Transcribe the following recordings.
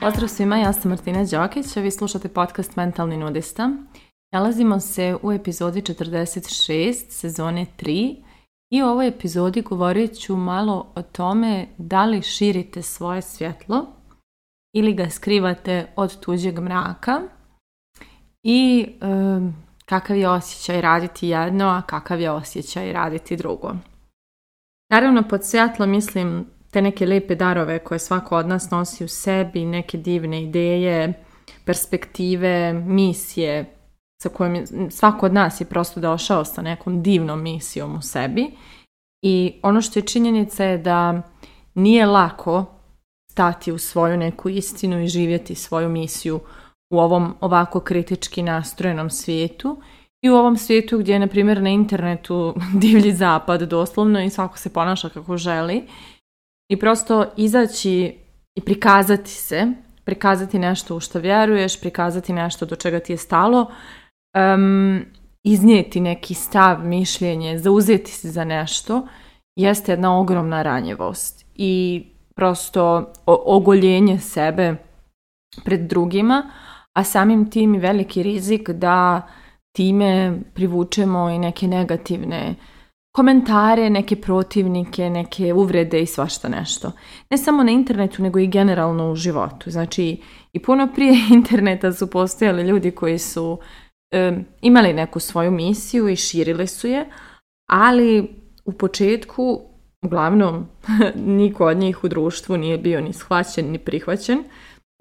Pozdrav svima, ja sam Martina Đokić, a vi slušate podcast Mentalni nudista. Nalazimo se u epizodi 46 sezone 3 i u ovoj epizodi govorit ću malo o tome da li širite svoje svjetlo ili ga skrivate od tuđeg mraka i kakav je osjećaj raditi jedno, a kakav je osjećaj raditi drugo. Naravno, pod svjetlo mislim te neke lijepe darove koje svako od nas nosi u sebi, neke divne ideje, perspektive, misije sa kojim svako od nas je prosto došao sa nekom divnom misijom u sebi. I ono što je činjenica je da nije lako stati u svoju neku istinu i živjeti svoju misiju u ovom ovako kritički nastrojenom svijetu i u ovom svijetu gdje je, na primjer, na internetu divlji zapad doslovno i svako se ponaša kako želi. I prosto izaći i prikazati nešto u što vjeruješ, prikazati nešto do čega ti je stalo, iznijeti neki stav, mišljenje, zauzeti se za nešto, jeste jedna ogromna ranjivost i prosto ogoljenje sebe pred drugima, a samim tim i veliki rizik da time privučemo i neke negativne komentare, neke protivnike, neke uvrede i svašta nešto. Ne samo na internetu, nego i generalno u životu. Znači, i puno prije interneta su postojali ljudi koji su imali neku svoju misiju i širili su je, ali u početku, uglavnom, niko od njih u društvu nije bio ni shvaćen, ni prihvaćen,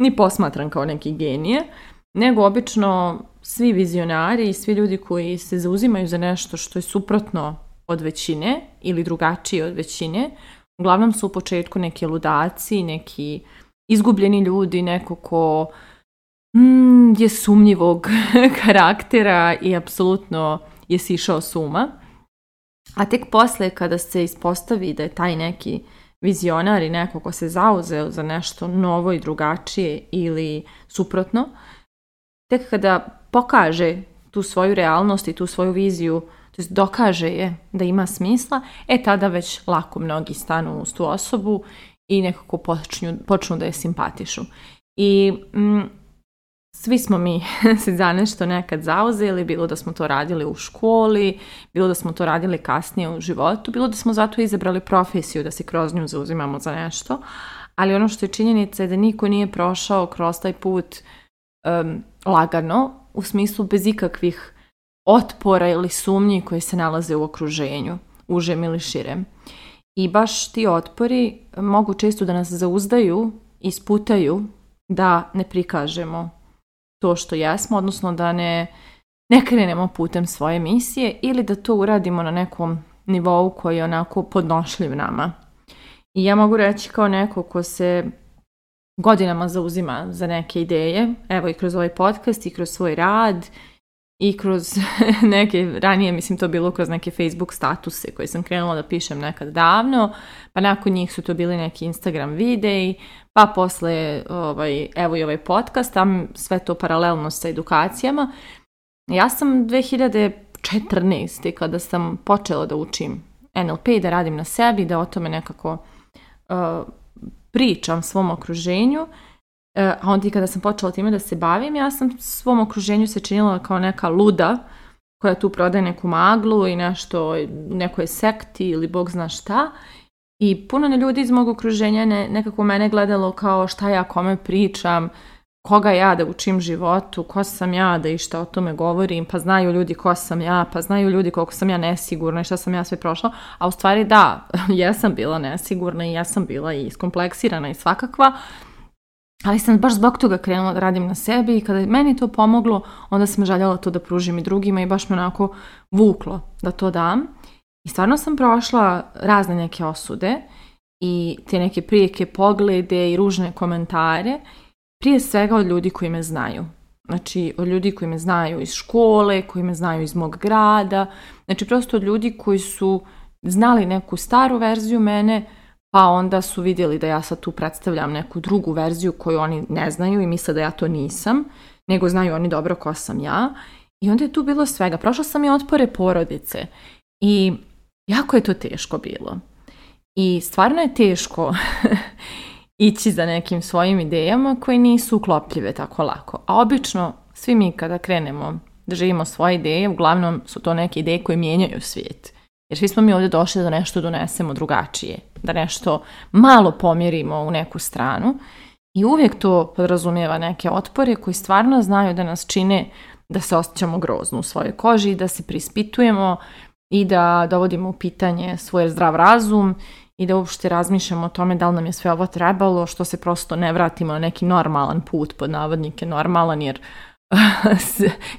ni posmatran kao neki genije, nego obično svi vizionari i svi ljudi koji se zauzimaju za nešto što je suprotno od većine ili drugačiji od većine, uglavnom su u početku neki ludaci, neki izgubljeni ljudi, neko ko je sumnjivog karaktera i apsolutno je sišao s uma. A tek posle kada se ispostavi da je taj neki vizionar i neko ko se zauzeo za nešto novo i drugačije ili suprotno, tek kada pokaže tu svoju realnost i tu svoju viziju, to jest dokaže je da ima smisla, tada već lako mnogi stanu uz tu osobu i nekako počnu da je simpatišu. I svi smo mi se za nešto nekad zauzeli, bilo da smo to radili u školi, bilo da smo to radili kasnije u životu, bilo da smo zato izabrali profesiju da se kroz nju zauzimamo za nešto, ali ono što je činjenica je da niko nije prošao kroz taj put lagano, u smislu bez ikakvih otpora ili sumnji koji se nalaze u okruženju, užem ili širem. I baš ti otpori mogu često da nas zauzdaju i sputaju da ne prikažemo to što jesmo, odnosno da ne krenemo putem svoje misije ili da to uradimo na nekom nivou koji je onako podnošljiv nama. I ja mogu reći kao neko ko se godinama zauzima za neke ideje, evo i kroz ovaj podcast i kroz svoj rad i kroz neke, ranije mislim to bilo kroz neke Facebook statuse koje sam krenula da pišem nekad davno, pa nakon njih su to bili neki Instagram videi, pa posle evo i ovaj podcast, tam sve to paralelno sa edukacijama. Ja sam 2014. kada sam počela da učim NLP, da radim na sebi, da o tome nekako pričam svom okruženju, a onda i kada sam počela time da se bavim, ja sam svom okruženju se činila kao neka luda koja tu prodaje neku maglu i nešto u nekoj sekti ili bog zna šta. I puno ljudi iz mog okruženja nekako mene gledalo kao šta ja kome pričam, koga ja da učim životu, ko sam ja da i šta o tome govorim, pa znaju ljudi ko sam ja, pa znaju ljudi koliko sam ja nesigurna i šta sam ja sve prošla. A u stvari da, jesam bila nesigurna i jesam bila i iskompleksirana i svakakva, ali sam baš zbog toga krenula da radim na sebi i kada je meni to pomoglo, onda sam željela to da pružim i drugima i baš me onako vuklo da to dam. I stvarno sam prošla razne neke osude i te neke prijeke poglede i ružne komentare, prije svega od ljudi koji me znaju. Znači, od ljudi koji me znaju iz škole, koji me znaju iz mog grada, znači prosto od ljudi koji su znali neku staru verziju mene, pa onda su vidjeli da ja sad tu predstavljam neku drugu verziju koju oni ne znaju i misle da ja to nisam, nego znaju oni dobro ko sam ja. I onda je tu bilo svega. Prošla sam i otpore porodice. I jako je to teško bilo. I stvarno je teško ići za nekim svojim idejama koje nisu uklopljive tako lako. A obično svi mi kada krenemo da živimo svoje ideje, uglavnom su to neke ideje koje mijenjaju svijet. Jer svi smo mi ovdje došli da nešto donesemo drugačije, da nešto malo pomjerimo u neku stranu i uvijek to podrazumijeva neke otpore koji stvarno znaju da nas čine da se osjećamo grozno u svojoj koži, da se prispitujemo i da dovodimo u pitanje svoj zdrav razum i da uopšte razmišljamo o tome da li nam je sve ovo trebalo, što se prosto ne vratimo na neki normalan put, pod navodnike normalan, jer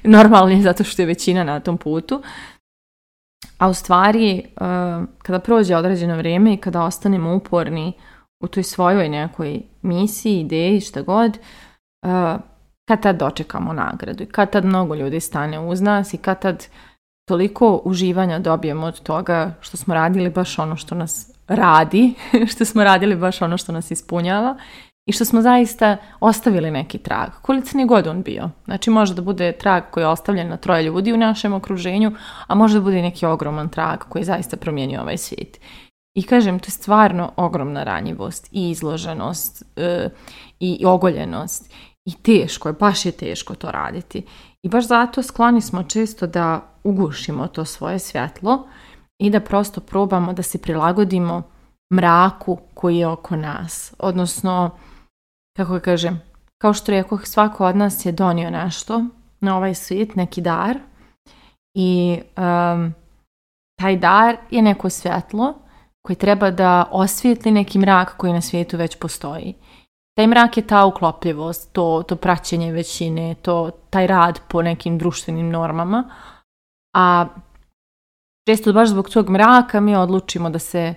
normalan je zato što je većina na tom putu. A u stvari, kada prođe određeno vrijeme i kada ostanemo uporni u toj svojoj nekoj misiji, ideji, šta god, kad tad dočekamo nagradu i kad tad mnogo ljudi stane uz nas i kad tad toliko uživanja dobijemo od toga što smo radili baš ono što nas radi, što smo radili baš ono što nas ispunjava i što smo zaista ostavili neki trag, koliko ni god on bio. Znači može da bude trag koji je ostavljen na 3 ljudi u našem okruženju, a može da bude neki ogroman trag koji zaista promijenio ovaj svijet. I kažem, to je stvarno ogromna ranjivost i izloženost i ogoljenost. I teško je, baš je teško to raditi. I baš zato skloni smo često da ugušimo to svoje svjetlo i da prosto probamo da se prilagodimo mraku koji je oko nas. Odnosno, kako kažem, kao što rekoh, svako od nas je donio nešto na ovaj svijet, neki dar. I taj dar je neko svjetlo koji treba da osvijetli neki mrak koji na svijetu već postoji. Taj mrak je ta uklopljivost, to praćenje većine, taj rad po nekim društvenim normama. A često baš zbog tog mraka mi odlučimo da se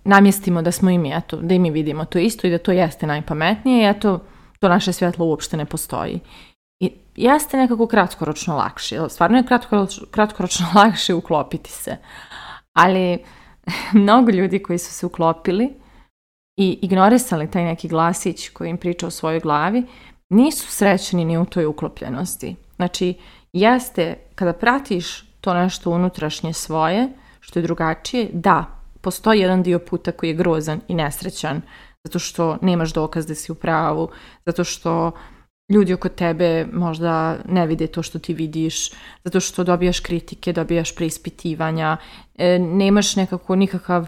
namjestimo da smo i mi, da i mi vidimo to isto i da to jeste najpametnije i to naše svjetlo uopšte ne postoji. I jeste nekako kratkoročno lakše, stvarno je kratkoročno lakše uklopiti se. Ali mnogo ljudi koji su se uklopili i ignorisali taj neki glasić koji im priča u svojoj glavi, nisu srećni ni u toj uklopljenosti. Znači, jeste, kada pratiš to nešto unutrašnje svoje, što je drugačije, da, postoji jedan dio puta koji je grozan i nesrećan, zato što nemaš dokaz da si u pravu, zato što ljudi oko tebe možda ne vide to što ti vidiš, zato što dobijaš kritike, dobijaš preispitivanja, nemaš nikakav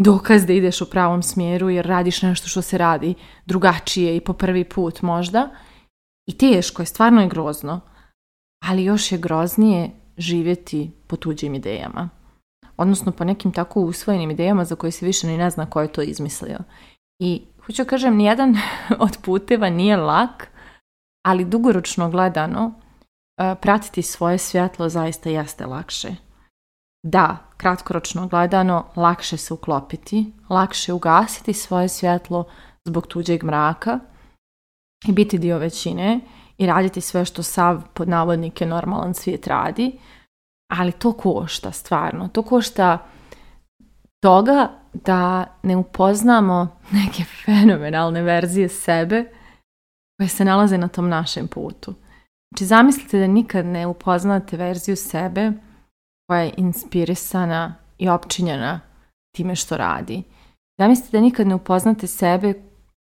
dokaz da ideš u pravom smjeru jer radiš nešto što se radi drugačije i po prvi put možda. I teško je, stvarno je grozno, ali još je groznije živjeti po tuđim idejama. Odnosno po nekim tako usvojenim idejama za koje se više ni ne zna ko je to izmislio. I hoću kažem, nijedan od puteva nije lak, ali dugoročno gledano pratiti svoje svjetlo zaista jeste lakše. Da, kratkoročno gledano lakše se uklopiti, lakše ugasiti svoje svjetlo zbog tuđeg mraka i biti dio većine i raditi sve što sav pod navodnike normalan svijet radi, ali to košta stvarno, to košta toga da ne upoznamo neke fenomenalne verzije sebe koje se nalaze na tom našem putu. Znači zamislite da nikad ne upoznate verziju sebe koja je inspirisana i opčinjena time što radi. Zamislite da nikad ne upoznate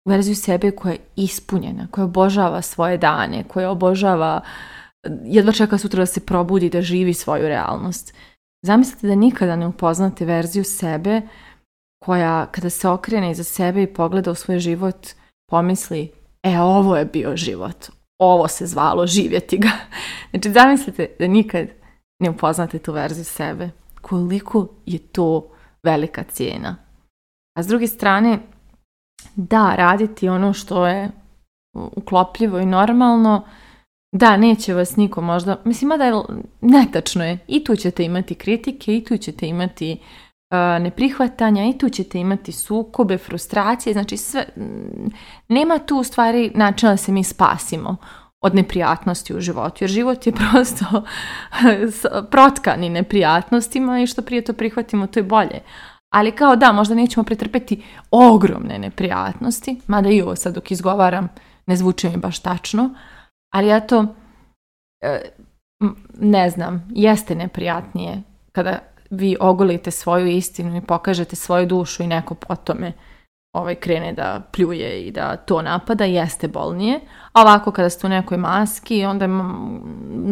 verziju sebe koja je ispunjena, koja obožava svoje dane, koja obožava, jedva čeka sutra da se probudi, da živi svoju realnost. Zamislite da nikada ne upoznate verziju sebe koja kada se okrene iza sebe i pogleda u svoj život pomisli, ovo je bio život, ovo se zvalo živjeti ga. Znači zamislite da nikad ne upoznate tu verziju sebe. Koliko je to velika cijena. A s druge strane, da, raditi ono što je uklopljivo i normalno, da, neće vas niko možda, mislim, da je netačno je, i tu ćete imati kritike, i tu ćete imati neprihvatanja, i tu ćete imati sukobe, frustracije, znači sve, nema tu u stvari načina da se mi spasimo od neprijatnosti u životu, jer život je prosto protkani neprijatnostima i što prije to prihvatimo, to je bolje. Ali kao da, možda nećemo pretrpeti ogromne neprijatnosti, mada i ovo sad dok izgovaram ne zvuči mi baš tačno, ali ne znam, jeste neprijatnije kada vi ogolite svoju istinu i pokažete svoju dušu i neko po tome krene da pljuje i da to napada, jeste bolnije. A ovako kada ste u nekoj maski, onda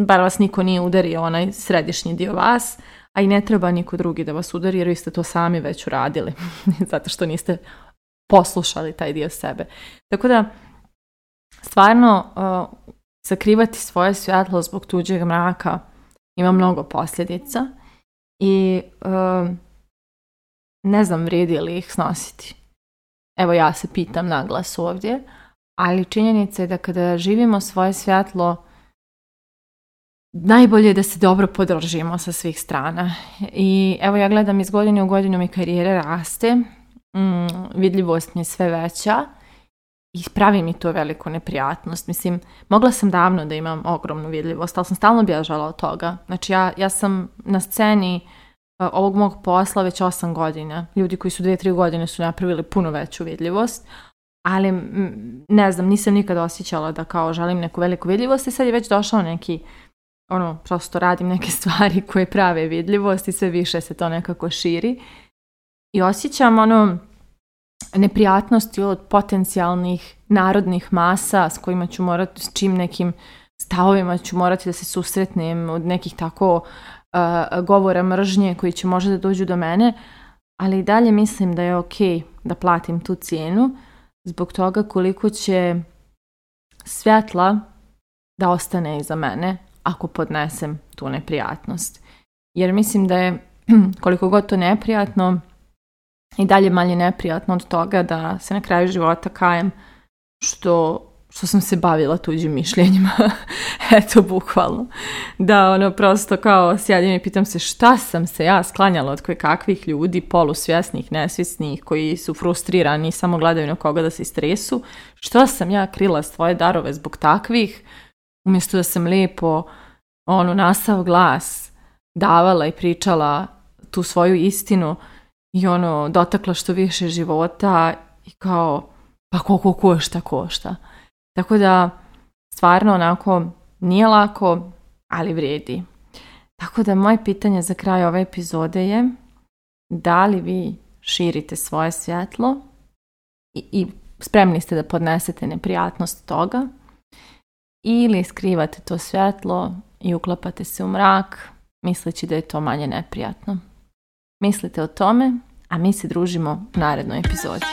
bar vas niko nije udario onaj središnji dio vas, a i ne treba niko drugi da vas udari jer vi ste to sami već uradili. Zato što niste poslušali taj dio sebe. Tako da, stvarno, sakrivati svoje svjetlo zbog tuđeg mraka ima mnogo posljedica i ne znam vrijedi li ih snositi. Evo ja se pitam naglas ovdje, ali činjenica je da kada živimo svoje svjetlo, najbolje je da se dobro podržimo sa svih strana. I evo ja gledam iz godine u godinu mi karijere raste, vidljivost mi je sve veća i pravi mi to veliku neprijatnost. Mislim, mogla sam davno da imam ogromnu vidljivost, ali sam stalno bježala od toga. Znači ja sam na sceni ovog mog posla već 8 godina. Ljudi koji su 2-3 godine su napravili puno veću vidljivost, ali ne znam, nisam nikada osjećala da kao želim neku veliku vidljivost i sad je već došao neki, prosto radim neke stvari koje prave vidljivost i sve više se to nekako širi. I osjećam neprijatnosti od potencijalnih narodnih masa s kojima ću morati, s čim nekim stavovima ću morati da se susretnem, od nekih tako govora mržnje koji će možda da dođu do mene, ali i dalje mislim da je ok da platim tu cijenu zbog toga koliko će svjetla da ostane iza mene ako podnesem tu neprijatnost. Jer mislim da je koliko god to neprijatno i dalje manje neprijatno od toga da se na kraju života kajem što sam se bavila tuđim mišljenjima. Eto, bukvalno. Da, prosto kao sjedim i pitam se šta sam se ja sklanjala od kakvih ljudi, polusvjesnih, nesvjesnih, koji su frustrirani i samo gledaju na koga da se istresu. Što sam ja krila svoje darove zbog takvih, umjesto da sam lijepo nasav glas davala i pričala tu svoju istinu i dotakla što više života i kao, pa koliko košta. Tako da, stvarno onako nije lako, ali vrijedi. Tako da, moje pitanje za kraj ove epizode je da li vi širite svoje svjetlo i spremni ste da podnesete neprijatnost toga ili skrivate to svjetlo i uklapate se u mrak misleći da je to manje neprijatno. Mislite o tome, a mi se družimo u narednoj epizodi.